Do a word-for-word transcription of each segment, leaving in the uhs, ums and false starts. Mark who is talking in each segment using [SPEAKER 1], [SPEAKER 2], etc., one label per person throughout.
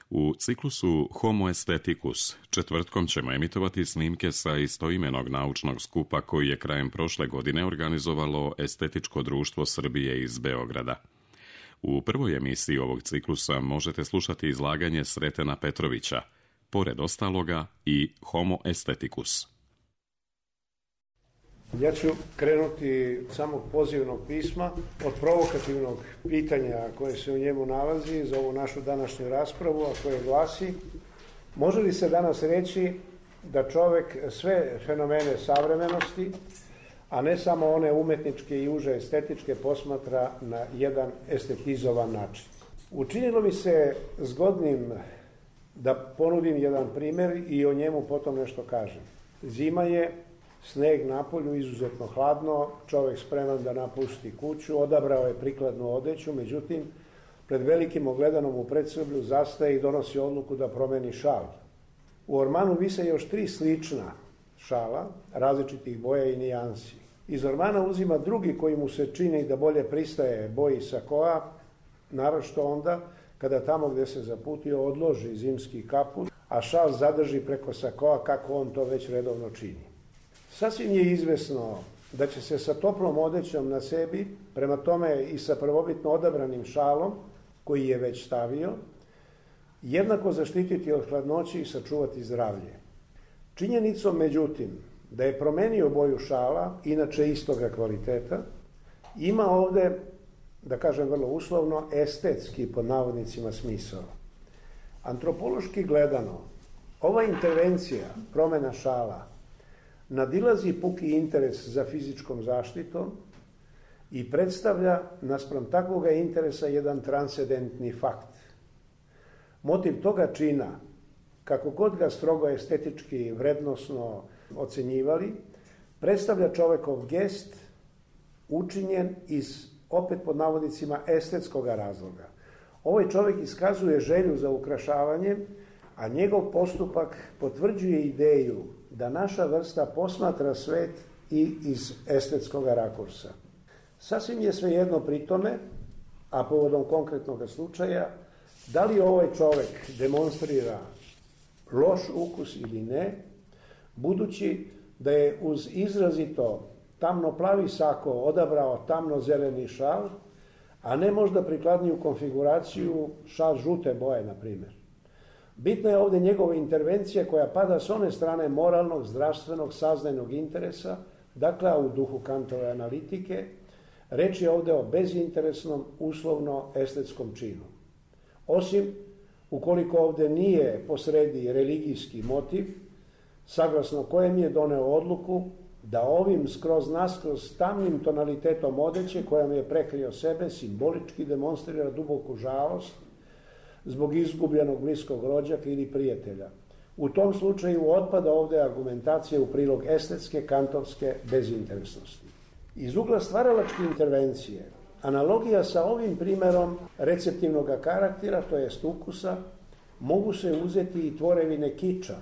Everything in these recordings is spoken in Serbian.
[SPEAKER 1] U ciklusu Homo Aestheticus četvrtkom ćemo emitovati snimke sa istoimenog naučnog skupa koji je krajem prošle godine organizovalo Estetičko društvo Srbije iz Beograda. U prvoj emisiji ovog ciklusa možete slušati izlaganje Sretena Petrovića, pored ostaloga i Homo Aestheticus.
[SPEAKER 2] Ja ću krenuti samog pozivnog pisma od provokativnog pitanja koje se u njemu nalazi za ovu našu današnju raspravu, a koje glasi: može li se danas reći da čovek sve fenomene savremenosti, a ne samo one umetničke i uže estetičke, posmatra na jedan estetizovan način? Učinilo mi se zgodnim da ponudim jedan primer i o njemu potom nešto kažem. Zima je, sneg napolju, izuzetno hladno, čovek spreman da napusti kuću, odabrao je prikladnu odeću, međutim, pred velikim ogledanom u predsoblju zastaje i donosi odluku da promeni šal. U ormanu vise još tri slična šala, različitih boja i nijansi. Iz ormana uzima drugi koji mu se čini da bolje pristaje boji sakoa, naročito onda kada tamo gde se zaputio odloži zimski kaput, a šal zadrži preko sakoa kako on to već redovno čini. Sasvim je izvesno da će se sa toplom odećom na sebi, prema tome i sa prvobitno odabranim šalom, koji je već stavio, jednako zaštititi od hladnoći i sačuvati zdravlje. Činjenicom, međutim, da je promenio boju šala, inače istoga kvaliteta, ima ovde, da kažem vrlo uslovno, estetski, pod navodnicima, smisao. Antropološki gledano, ova intervencija, promena šala, nadilazi puki interes za fizičkom zaštitom i predstavlja naspram takvoga interesa jedan transcendentni fakt. Motiv toga čina, kako god ga strogo estetički vrednosno ocenjivali, predstavlja čovekov gest učinjen iz, opet pod navodnicima, estetskog razloga. Ovaj čovek iskazuje želju za ukrašavanjem, a njegov postupak potvrđuje ideju da naša vrsta posmatra svet i iz estetskog rakursa. Sasvim je svejedno pri tome, a povodom konkretnog slučaja, da li ovaj čovek demonstrira loš ukus ili ne, budući da je uz izrazito tamno-plavi sako odabrao tamno-zeleni šal, a ne možda prikladniju konfiguraciju šal žute boje, na primjer. Bitna je ovde njegova intervencija koja pada s one strane moralnog, zdravstvenog, saznajnog interesa, dakle u duhu Kantove analitike. Reč je ovde o bezinteresnom, uslovno estetskom činu. Osim, ukoliko ovde nije posredi religijski motiv, saglasno kojem je doneo odluku da ovim skroz naskroz tamnim tonalitetom odeće kojom je prekrio sebe simbolički demonstrira duboku žalost zbog izgubljenog bliskog rođaka ili prijatelja. U tom slučaju otpada ovde argumentacija u prilog estetske, kantovske bezinteresnosti. Iz ugla stvaralačke intervencije, analogija sa ovim primerom receptivnog karaktera, to jest ukusa, mogu se uzeti i tvorevine kiča,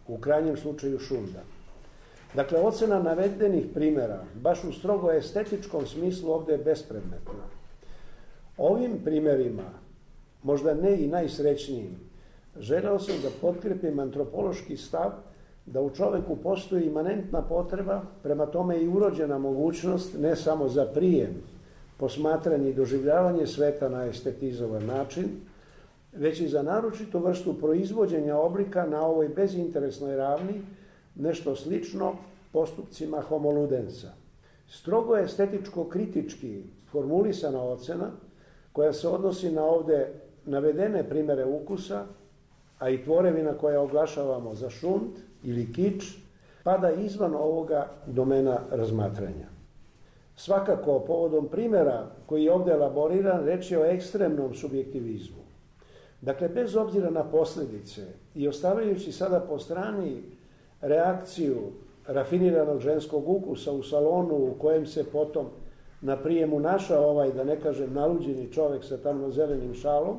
[SPEAKER 2] u krajnjem slučaju šunda. Dakle, ocena navedenih primera, baš u strogo estetičkom smislu, ovde je bespredmetna. Ovim primerima, možda ne i najsrećnijim, želeo sam da potkrepim antropološki stav da u čoveku postoji imanentna potreba, prema tome i urođena mogućnost ne samo za prijem, posmatranje i doživljavanje sveta na estetizovan način, već i za naročitu vrstu proizvođenja oblika na ovoj bezinteresnoj ravni, nešto slično postupcima homo ludensa. Strogo estetičko-kritički formulisana ocena, koja se odnosi na ovde navedene primere ukusa, a i tvorevina koja oglašavamo za šund ili kič, pada izvan ovoga domena razmatranja. Svakako, povodom primera koji je ovde elaboriran, reč je o ekstremnom subjektivizmu. Dakle, bez obzira na posledice i ostavljajući sada po strani reakciju rafiniranog ženskog ukusa u salonu u kojem se potom na prijemu našao ovaj, da ne kažem, naluđeni čovek sa tamno-zelenim šalom,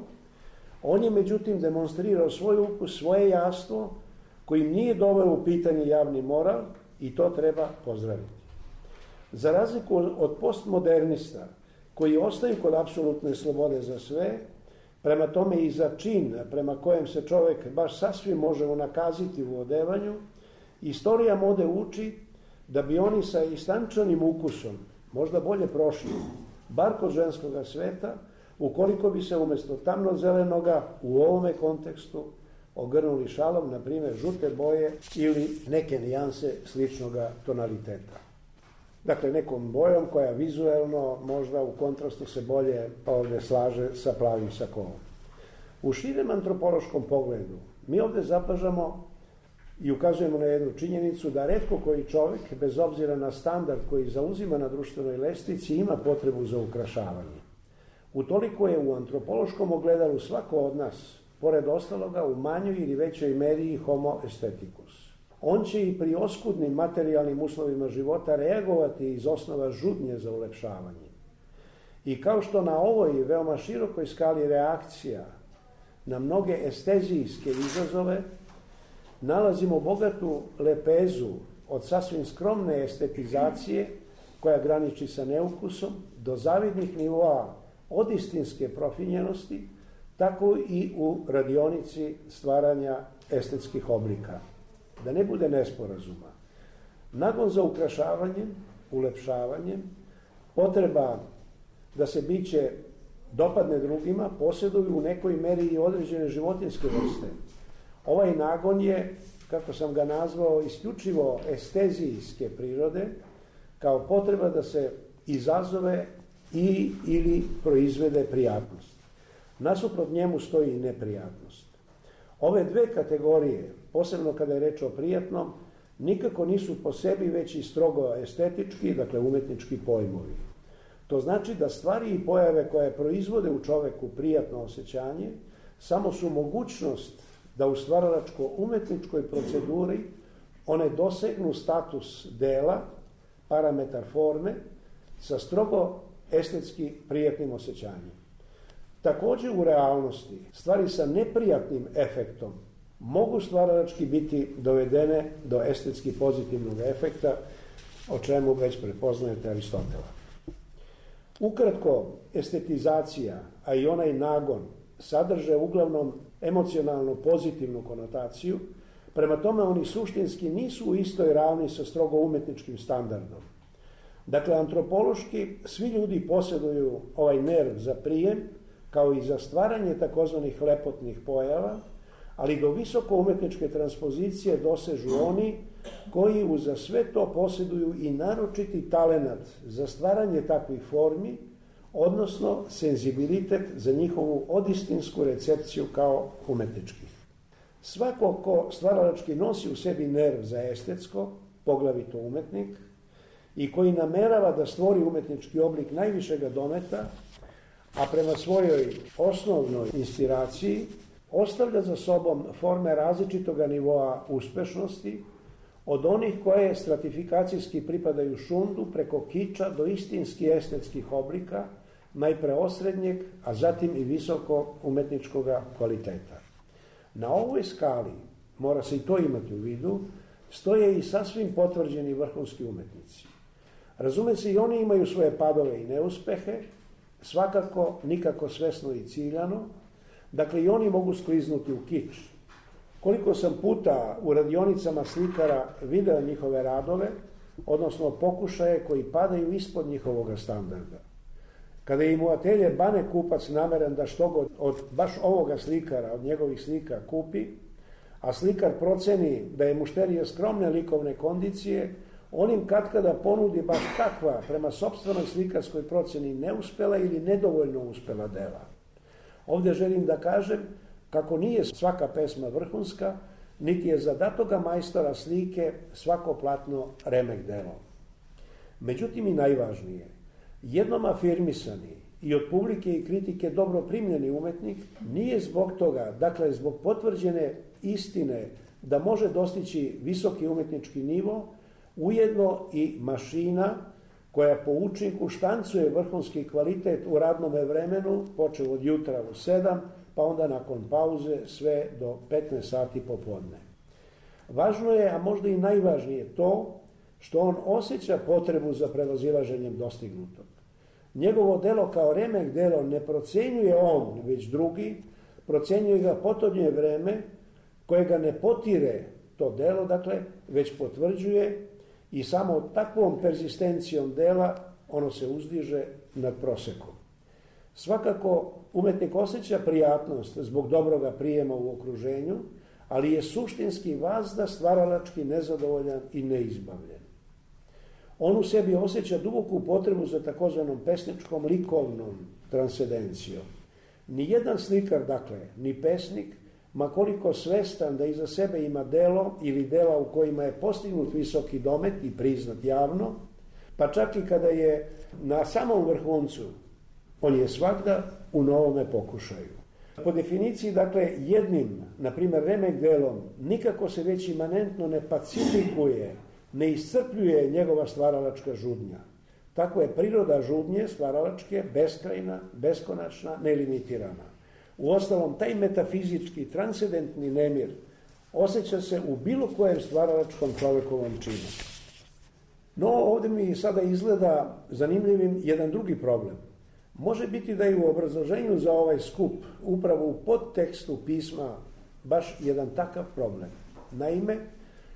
[SPEAKER 2] on je međutim demonstrirao svoj ukus, svoje jastvo, kojim nije doveo u pitanje javni moral i to treba pozdraviti. Za razliku od postmodernista, koji ostaju kod apsolutne slobode za sve, Prema tome i za čin prema kojem se čovjek baš sasvim može unakaziti u odevanju, istorija mode uči da bi oni sa istančanim ukusom možda bolje prošli, bar kod ženskoga sveta, ukoliko bi se umjesto tamno-zelenoga u ovome kontekstu ogrnuli šalom, na primjer žute boje ili neke nijanse sličnoga tonaliteta. Dakle, nekom bojom koja vizuelno možda u kontrastu se bolje ovdje slaže sa plavim sakovom. U širem antropološkom pogledu mi ovdje zapažamo i ukazujemo na jednu činjenicu da retko koji čovjek, bez obzira na standard koji zauzima na društvenoj lestvici, ima potrebu za ukrašavanje. Utoliko je u antropološkom ogledalu svako od nas, pored ostaloga, u manjoj ili većoj meri homo aestheticus. On će i pri oskudnim materijalnim uslovima života reagovati iz osnova žudnje za ulepšavanje. I kao što na ovoj veoma širokoj skali reakcija na mnoge estezijske izazove nalazimo bogatu lepezu od sasvim skromne estetizacije koja graniči sa neukusom do zavidnih nivoa od istinske profinjenosti, tako i u radionici stvaranja estetskih oblika. Da ne bude nesporazuma. Nagon za ukrašavanjem, ulepšavanjem, potreba da se biće dopadne drugima, posjeduju u nekoj meri i određene životinjske vrste. Ovaj nagon je, kako sam ga nazvao, isključivo estezijske prirode, kao potreba da se izazove i ili proizvede prijatnost. Nasuprot njemu stoji i neprijatnost. Ove dve kategorije, posebno kada je reč o prijatnom, nikako nisu po sebi već i strogo estetički, dakle umetnički pojmovi. To znači da stvari i pojave koje proizvode u čoveku prijatno osjećanje samo su mogućnost da u stvaralačko-umetničkoj proceduri one dosegnu status dela, parametar forme, sa strogo estetski prijatnim osjećanjem. Također u realnosti stvari sa neprijatnim efektom mogu stvaralački biti dovedene do estetski pozitivnog efekta, o čemu već prepoznajete Aristotela. Ukratko, estetizacija, a i onaj nagon, sadrže uglavnom emocionalno pozitivnu konotaciju, prema tome oni suštinski nisu u istoj ravni sa strogo umetničkim standardom. Dakle, antropološki svi ljudi posjeduju ovaj nerv za prijem, kao i za stvaranje takozvanih lepotnih pojava, ali do visoko umetničke transpozicije dosežu oni koji uza sve to posjeduju i naročiti talenat za stvaranje takvih formi, odnosno senzibilitet za njihovu odistinsku recepciju kao umetničkih. Svako ko stvaralački nosi u sebi nerv za estetsko, poglavito umetnik, i koji namerava da stvori umetnički oblik najvišega dometa, a prema svojoj osnovnoj inspiraciji ostavlja za sobom forme različitoga nivoa uspešnosti, od onih koje stratifikacijski pripadaju šundu preko kiča do istinski estetskih oblika, najpre osrednjeg, a zatim i visoko umetničkog kvaliteta. Na ovoj skali, mora se i to imati u vidu, stoje i sasvim potvrđeni vrhunski umetnici. Razume se, i oni imaju svoje padove i neuspehe, svakako nikako svesno i ciljano, dakle i oni mogu skliznuti u kič. Koliko sam puta u radionicama slikara video njihove radove, odnosno pokušaje koji padaju ispod njihovog standarda. Kada im u atelje bane kupac nameran da što god od baš ovoga slikara, od njegovih slika kupi, a slikar proceni da je mušterija skromne likovne kondicije, on im katkada ponudi baš takva, prema sopstvenoj slikarskoj proceni, neuspela ili nedovoljno uspela dela. Ovdje želim da kažem kako nije svaka pesma vrhunska, niti je za datoga majstora slike svako platno remek delo. Međutim i najvažnije, jednom afirmisani i od publike i kritike dobro primljeni umetnik nije zbog toga, dakle zbog potvrđene istine da može dostići visoki umetnički nivo, ujedno i mašina koja po učinku štancuje vrhunski kvalitet u radnome vremenu, počeo od jutra u sedam, pa onda nakon pauze sve do petnaest sati popodne. Važno je, a možda i najvažnije, to što on osjeća potrebu za prevazilaženjem dostignutog. Njegovo delo kao remek delo ne procenjuje on, već drugi, procenjuje ga potonje vreme koje ga ne potire to delo, dakle, već potvrđuje i samo takvom perzistencijom dela ono se uzdiže nad prosekom. Svakako, umetnik osjeća prijatnost zbog dobroga prijema u okruženju, ali je suštinski vazda stvaralački nezadovoljan i neizbavljen. On u sebi osjeća duboku potrebu za takozvanom pesničkom likovnom transcendencijom. Nijedan slikar, dakle, ni pesnik, makoliko svestan da iza sebe ima delo ili dela u kojima je postignut visoki domet i priznat javno, pa čak i kada je na samom vrhuncu, on je svakda u novome pokušaju. Po definiciji, dakle, jednim, na primjer, remek delom, nikako se već imanentno ne pacifikuje, ne iscrpljuje njegova stvaralačka žudnja. Tako je priroda žudnje stvaralačke beskrajna, beskonačna, nelimitirana. Uostalom, taj metafizički, transcendentni nemir osjeća se u bilo kojem stvaralačkom čovekovom činu. No, ovdje mi sada izgleda zanimljivim jedan drugi problem. Može biti da je u obrazloženju za ovaj skup, upravo u podtekstu pisma, baš jedan takav problem. Naime,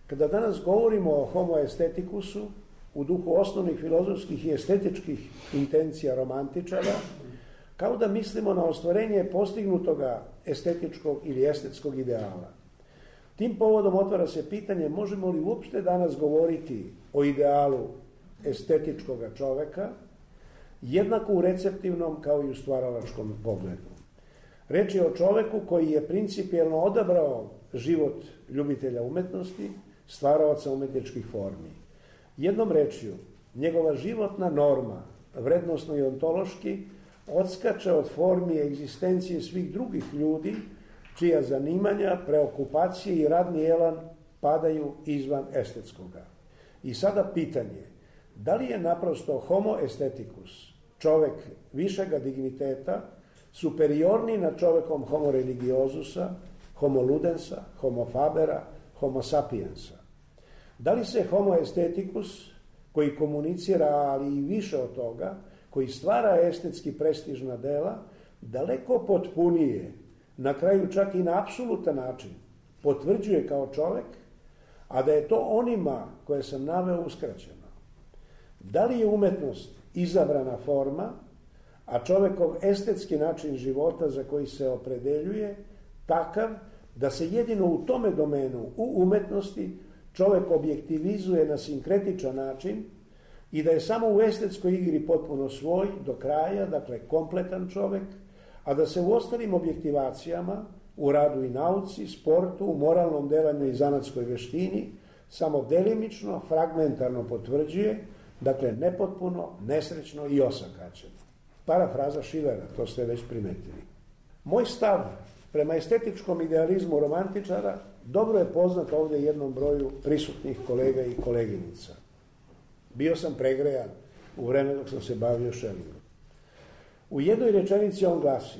[SPEAKER 2] kada danas govorimo o homo estetikusu, u duhu osnovnih filozofskih i estetičkih intencija romantičara, kao da mislimo na ostvarenje postignutoga estetičkog ili estetskog ideala. Tim povodom otvara se pitanje možemo li uopšte danas govoriti o idealu estetičkoga čoveka, jednako u receptivnom kao i u stvaralačkom pogledu. Reč je o čoveku koji je principijelno odabrao život ljubitelja umetnosti, stvaraoca umetničkih formi. Jednom rečju, njegova životna norma, vrednosno i ontološki, odskače od formi egzistencije svih drugih ljudi, čija zanimanja, preokupacije i radni elan padaju izvan estetskoga. I sada pitanje, da li je naprosto homo esteticus, čovek višega digniteta, superiorni nad čovekom homo religiosusa, homo ludensa, homo fabera, homo sapiensa? Da li se homo esteticus, koji komunicira, ali i više od toga, koji stvara estetski prestižna dela, daleko potpunije, na kraju čak i na apsolutan način, potvrđuje kao čovek, a da je to onima koje sam naveo uskraćeno? Da li je umetnost izabrana forma, a čovekov estetski način života za koji se opredeljuje takav da se jedino u tome domenu, u umetnosti, čovek objektivizuje na sinkretičan način i da je samo u estetskoj igri potpuno svoj, do kraja, dakle kompletan čovek, a da se u ostalim objektivacijama, u radu i nauci, sportu, u moralnom delanju i zanatskoj veštini, samo delimično, fragmentarno potvrđuje, dakle nepotpuno, nesrećno i osakaćeno. Parafraza Schillera, to ste već primetili. Moj stav prema estetičkom idealizmu romantičara dobro je poznat ovdje jednom broju prisutnih kolega i koleginica. Bio sam pregrejan u vreme dok sam se bavio Schellingom. U jednoj rečenici on glasi: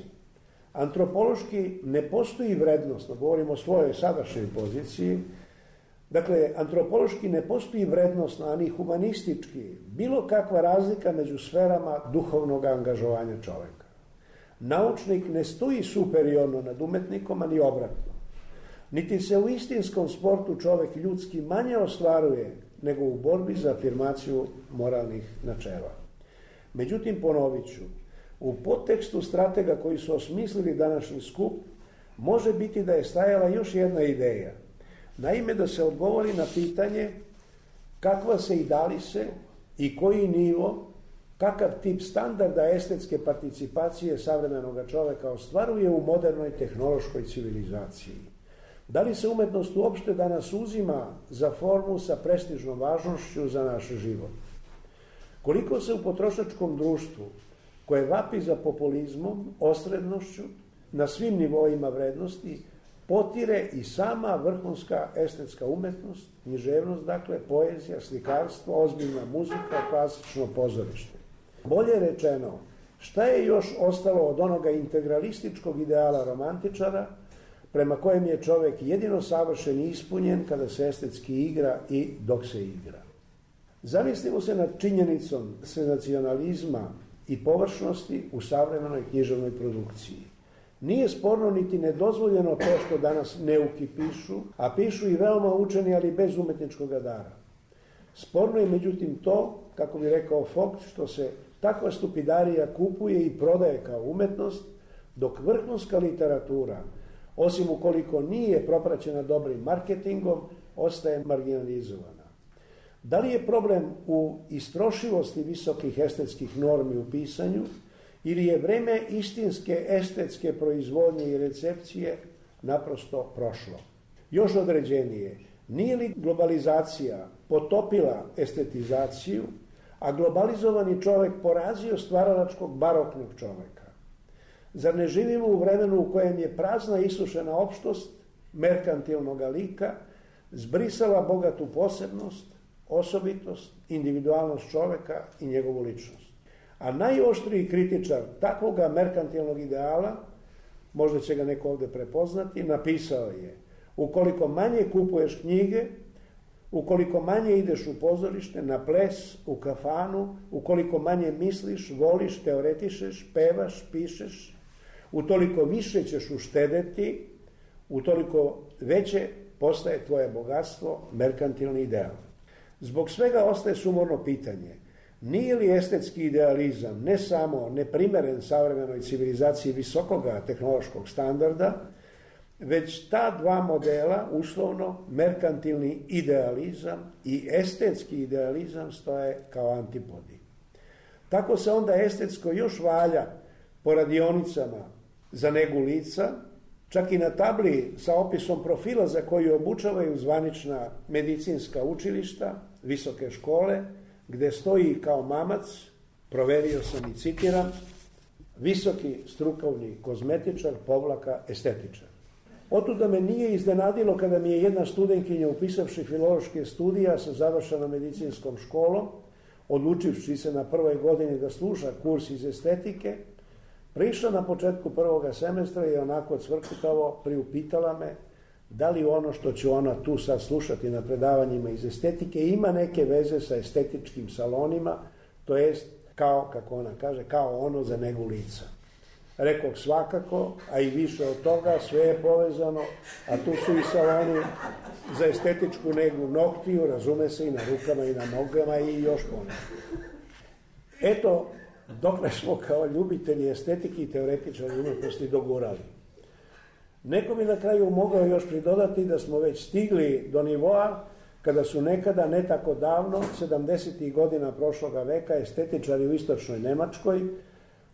[SPEAKER 2] antropološki ne postoji vrednost, govorimo o svojoj sadašnjoj poziciji, dakle, antropološki ne postoji vrednostna, ani humanistički, bilo kakva razlika među sferama duhovnog angažovanja čoveka. Naučnik ne stoji superiorno nad umetnikom, ani obratno. Niti se u istinskom sportu čovek ljudski manje ostvaruje nego u borbi za afirmaciju moralnih načela. Međutim, ponovit ću, u podtekstu stratega koji su osmislili današnji skup može biti da je stajala još jedna ideja. Naime, da se odgovori na pitanje kakva se i da li se i koji nivo, kakav tip standarda estetske participacije savremenog čoveka ostvaruje u modernoj tehnološkoj civilizaciji. Da li se umetnost uopšte danas uzima za formu sa prestižnom važnošću za naš život? Koliko se u potrošačkom društvu, koje vapi za populizmom, osrednošću, na svim nivoima vrednosti, potire i sama vrhunska estetska umetnost, književnost, dakle, poezija, slikarstvo, ozbiljna muzika, klasično pozorište. Bolje rečeno, šta je još ostalo od onoga integralističkog ideala romantičara, prema kojem je čovek jedino savršen i ispunjen kada se estetski igra i dok se igra? Zamislimo se nad činjenicom senzacionalizma i površnosti u savremenoj književnoj produkciji. Nije sporno niti nedozvoljeno to što danas neuki pišu, a pišu i veoma učeni, ali bez umetničkog dara. Sporno je međutim to, kako bi rekao Vogt, što se takva stupidarija kupuje i prodaje kao umetnost, dok vrhunska literatura, osim ukoliko nije propraćena dobrim marketingom, ostaje marginalizovana. Da li je problem u istrošivosti visokih estetskih normi u pisanju ili je vreme istinske estetske proizvodnje i recepcije naprosto prošlo? Još određenije, nije li globalizacija potopila estetizaciju, a globalizovani čovjek porazio stvaralačkog baroknog čovjeka? Zar ne živimo u vremenu u kojem je prazna i isušena opštost merkantilnog lika zbrisala bogatu posebnost, osobitost, individualnost čovjeka i njegovu ličnost? A najoštriji kritičar takvoga merkantilnog ideala, možda će ga neko ovdje prepoznati, napisao je: ukoliko manje kupuješ knjige, ukoliko manje ideš u pozorište, na ples, u kafanu, ukoliko manje misliš, voliš, teoretišeš, pevaš, pišeš, utoliko više ćeš uštedeti, utoliko veće postaje tvoje bogatstvo, merkantilni ideal. Zbog svega ostaje sumorno pitanje: nije li estetski idealizam ne samo neprimeren savremenoj civilizaciji visokoga tehnološkog standarda, već ta dva modela, uslovno merkantilni idealizam i estetski idealizam, stoje kao antipodi. Tako se onda estetsko još valja po radionicama za negu lica, čak i na tabli sa opisom profila za koju obučavaju zvanična medicinska učilišta, visoke škole, gde stoji kao mamac, proverio sam i citiram, visoki strukovni kozmetičar, povlaka estetičar. Otuda me nije iznenadilo kada mi je jedna studentkinja, upisavši filološke studija sa završenom medicinskom školom, odlučivši se na prvoj godini da sluša kurs iz estetike, prišla na početku prvoga semestra i onako cvrkutavo priupitala me da li ono što ću ona tu sad slušati na predavanjima iz estetike ima neke veze sa estetičkim salonima, to jest, kao, kako ona kaže, kao ono za negu lica. Rekoh svakako, a i više od toga, sve je povezano, a tu su i saloni za estetičku negu noktiju, razume se, i na rukama i na nogama i još ponekad. Eto, dokle smo kao ljubitelji estetike i teoretičari umetnosti dogurali. Neko bi na kraju mogao još pridodati da smo već stigli do nivoa kada su nekada, ne tako davno, sedamdesetih godina prošloga veka, estetičari u istočnoj Nemačkoj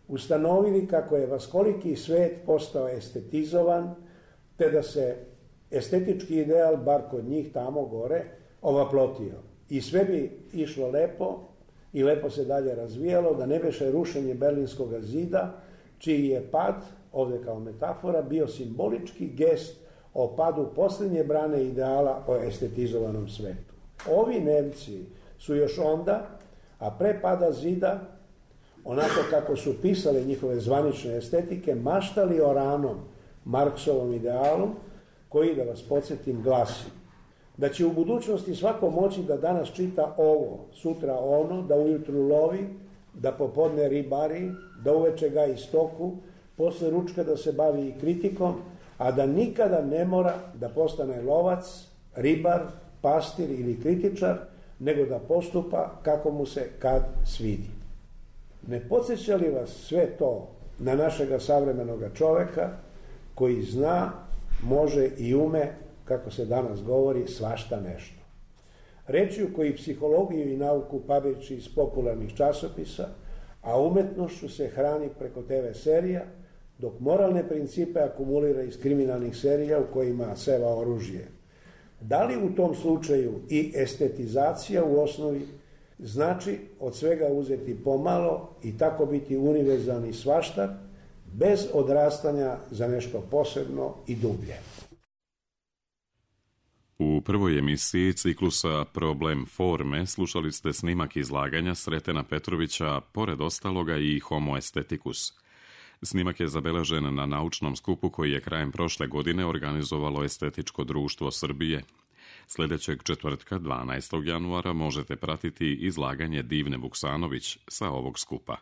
[SPEAKER 2] ustanovili kako je vaskoliki svet postao estetizovan, te da se estetički ideal, bar kod njih tamo gore, ovaplotio. I sve bi išlo lepo i lepo se dalje razvijalo, da ne beše rušenje Berlinskog zida, čiji je pad, ovdje kao metafora, bio simbolički gest o padu posljednje brane ideala o estetizovanom svetu. Ovi Nemci su još onda, a pre pada zida, onako kako su pisale njihove zvanične estetike, maštali o ranom Marksovom idealu, koji, da vas podsjetim, glasi da će u budućnosti svako moći da danas čita ovo, sutra ono, da ujutru lovi, da popodne ribari, da uveče gaji stoku, posle ručka da se bavi i kritikom, a da nikada ne mora da postane lovac, ribar, pastir ili kritičar, nego da postupa kako mu se kad svidi. Ne podsjeća li vas sve to na našega savremenoga čoveka koji zna, može i ume, kako se danas govori, svašta nešto? Rečju koji psihologiju i nauku pabeći iz popularnih časopisa, a umetnošću se hrani preko te ve serija, dok moralne principe akumulira iz kriminalnih serija u kojima seva oružje. Da li u tom slučaju i estetizacija u osnovi znači od svega uzeti pomalo i tako biti univerzalni svaštar, bez odrastanja za nešto posebno i dublje?
[SPEAKER 1] U prvoj emisiji ciklusa Problem forme slušali ste snimak izlaganja Sretena Petrovića, pored ostaloga i Homo aestheticus. Snimak je zabeležen na naučnom skupu koji je krajem prošle godine organizovalo Estetičko društvo Srbije. Sljedećeg četvrtka, dvanaestog januara, možete pratiti izlaganje Divne Vuksanović sa ovog skupa.